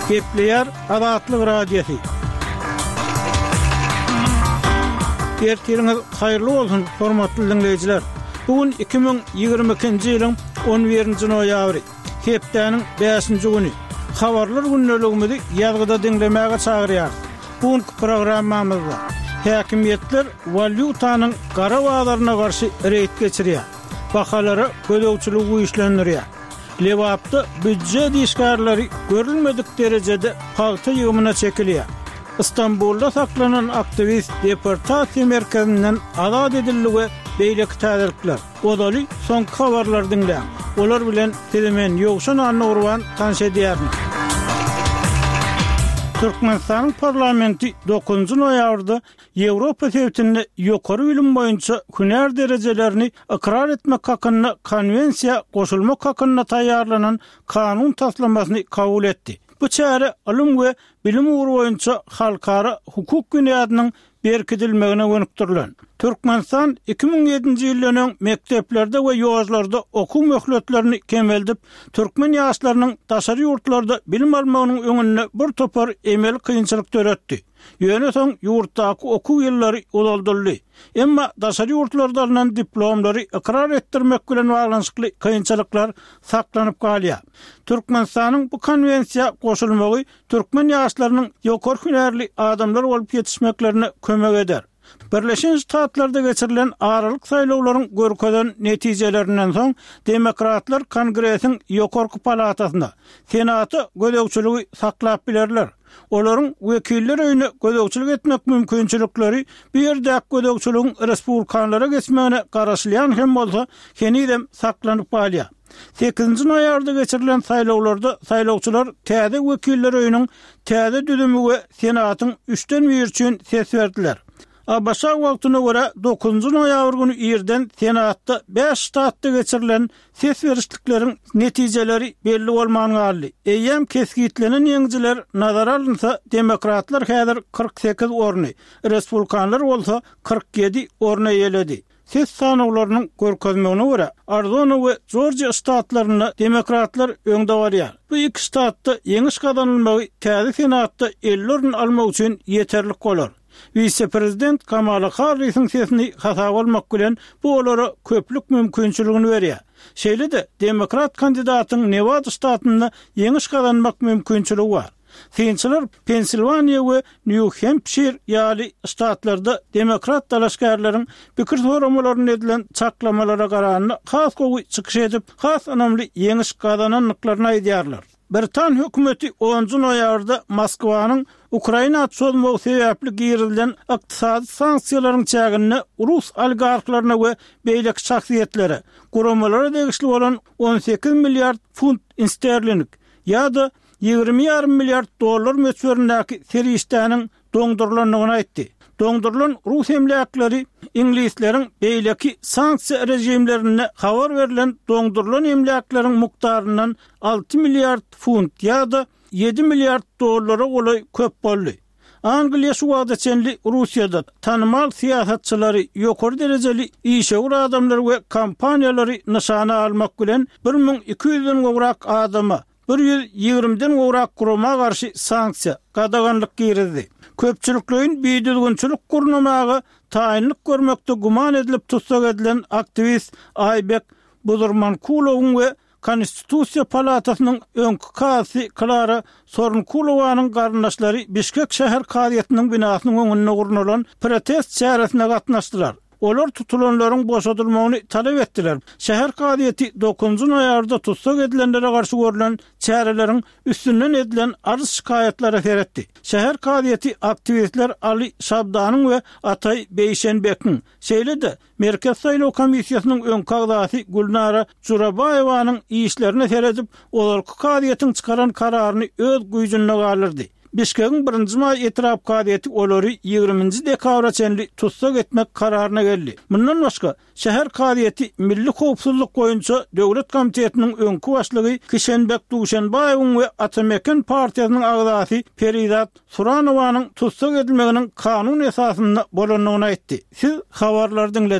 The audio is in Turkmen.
Gepleýär Azatlyk Radiosy. Ertiriňiz haýyrly bolsun, hormatly diňleýjiler! Bu gün 2022-nji ýylyň 11-nji noýabry, hepdäniň bäşinji güni. Habarlar gündeligimizi ýazgyda diňlemäge çagyrýarys. Bu günki programmamyzda häkimiýetler walýutanyň gara bazaryna garşy reýd geçirýär, bahalara gözegçiligi güýçlendirýär. Lebapda býujet işgärleri görülmedik derejede pagta ýygymyna çekilýär. Stambulda saklanan aktiwist deportasiýa merkezinden azat edildi we beýleki täzelikler. Ozaly soňky habarlary diňläň. Olar bilen sizi men Ýowşan Annagurban tanyş edýärin. Türkmenistanyň parlamenti dokuzynjy noýabrda Ýewropa sebitinde ýokary bilim boýunça hünär derejelerini ykrar etmek hakynda Konwensiýa goşulmak hakynda taýýarlanan kanun taslamasyny kabul etdi. Bu çäre ylym we bilim ugry boýunça halkara hukuk binýadynyň berkidilmegine gönükdirilen. Türkmenistan 2007-nji ýyldan öň mekdeplerde we ýožlarda okuw möhletlerini kemeldip, türkmen ýaşlarynyň daşary ýurtlarda bilim almagynyň öňünde bir topar emeli kynçylyk döretdi. Ýöne soň ýurtdaky okuw ýyllary uzaldyldy. Emma daşary ýurtlarda alnan diplomlary ykrar etdirmek bilen baglanyşykly kynçylyklar saklanyp galýar. Türkmenistanyň bu konwensiýa goşulmagy türkmen ýaşlarynyň ýokary hünärli adamlar bolup ýetişmeklerine kömek eder. Birleşen Ştatlarda geçirilen aralyk saýlawlaryň görkezen netijelerinden soň, demokratlar Kongresiň ýokarky palatasyna, Senata gözegçiligi saklap bilerler. Olaryň Wekiller öýüne gözegçilik etmek mümkinçilikleri bu ýerdäki gözegçiligiň respublikanlara geçmegine garaşylýan hem bolsa, henizem saklanyp galýar. Sekizinji noýabrda geçirilen saýlawlarda saýlawçylar täze Wekiller öýüniň täze düzümi we Senatyň üçden biri üçin ses berdiler. ABŞ wagtyna görä dokuzynjy noýabr güni irden Senatda bäş ştatda geçirilen ses berişlikleriň netijeleri belli bolman galdy. Eýýäm kesgitlenen ýeňijiler nazara alynsa, demokratlar häzir 48 orny, respublikanlar bolsa 47 orny eýeledi. Ses sanawlarynyň görkezmegine görä, Arizona we Jorjiýa ştatlarynda demokratlar öňde barýar. Bu iki ştatda ýeňiş gazanylmagy täze Senatda 50 orun almak üçin ýeterlik bolar. Wise-prezident Kamala Harrisiň sesini hasaba almak bilen, bu olara köplük mümkinçiligini berýär. Şeýle-de, demokrat kandidatyň Newada ştatynda ýeňiş gazanmak mümkinçiligi bar. Synçylar Pensilwaniýa we Nýu-Hempşir ýaly ştatlarda demokrat dalaşgärleriň pikir soramalarynda edilen çaklamalara garanda has gowy çykyş edip, has ynamly ýeňiş gazanandyklaryny aýdýarlar. Britan hökümeti onunjy noýabrda Moskwanyň Ukraina çozmagy sebäpli girizilen ykdysady sanksiýalaryň çäginde rus oligarhlaryna we beýleki şahsyýetlere, guramalara degişli bolan 18 milliard funt sterling ýa-da 20 ýarym milliard dollar möçberindäki serişdäniň doňdurylandygyny aýtdy. Doňdurylan rus emläkleri iňlisleriň beýleki sanksiýa režimlerinde habar berlen doňdurylan emläkleriň mukdaryndan 6 milliard funt ýa-da 7 milliard dollara golaý köp boldy. Angliýa şu wagta çenli Russiýada tanymal syýasatçylary, ýokary derejeli işewür adamlary we kompaniýalary nyşana almak bilen 1200-den gowrak adama, 120-den gowrak gurama garşy sanksiýa, gadaganlyk girizdi. Köpçülikleýin bidüzgünçilik gurnamaga taýynlyk görmekde güman edilip tussag edilen aktiwist Aýbek Buzurmankulowyň we Konstitusiýa palatasynyň öňki kazysy Klara Sorunkulowanyň garyndaşlary Bişkek şäher kazyýetiniň binasynyň öňünde gurnalan protest çäresine gatnaşdylar. Olar tutulanlaryň boşadylmagyny talap etdiler. Şäher kazyýeti dokuzynjy noýabrda tussag edilenlere garşy görlen çäreleriň üstünden edilen arz-şikaýatlara seretdi. Şäher kazyýeti aktiwistler Ali Şabdanyň we Ataý Beýşenbekiň, şeýle-de Merkezi saýlaw komissiýasynyň öňki agzasy Gülnara Jurabaýewanyň işlerine seredip, ozalky kazyýetiň çykaran kararyny öz güýjünde galdyrdy. Bişkegiň Birinji maý etrap kazyýeti olary ýigriminji dekabra çenli tussag etmek kararyna geldi. Mundan başga, şäher kazyýeti Milli howpsuzlyk boýunça döwlet komitetiniň öňki başlygy Kişenbek Duşenbaýewiň we Ata-Meken partiýasynyň agzasy Perizat Suranowanyň tussag edilmeginiň kanun esasynda bolandygyny aýtdy. Siz habarlary diňlediňiz.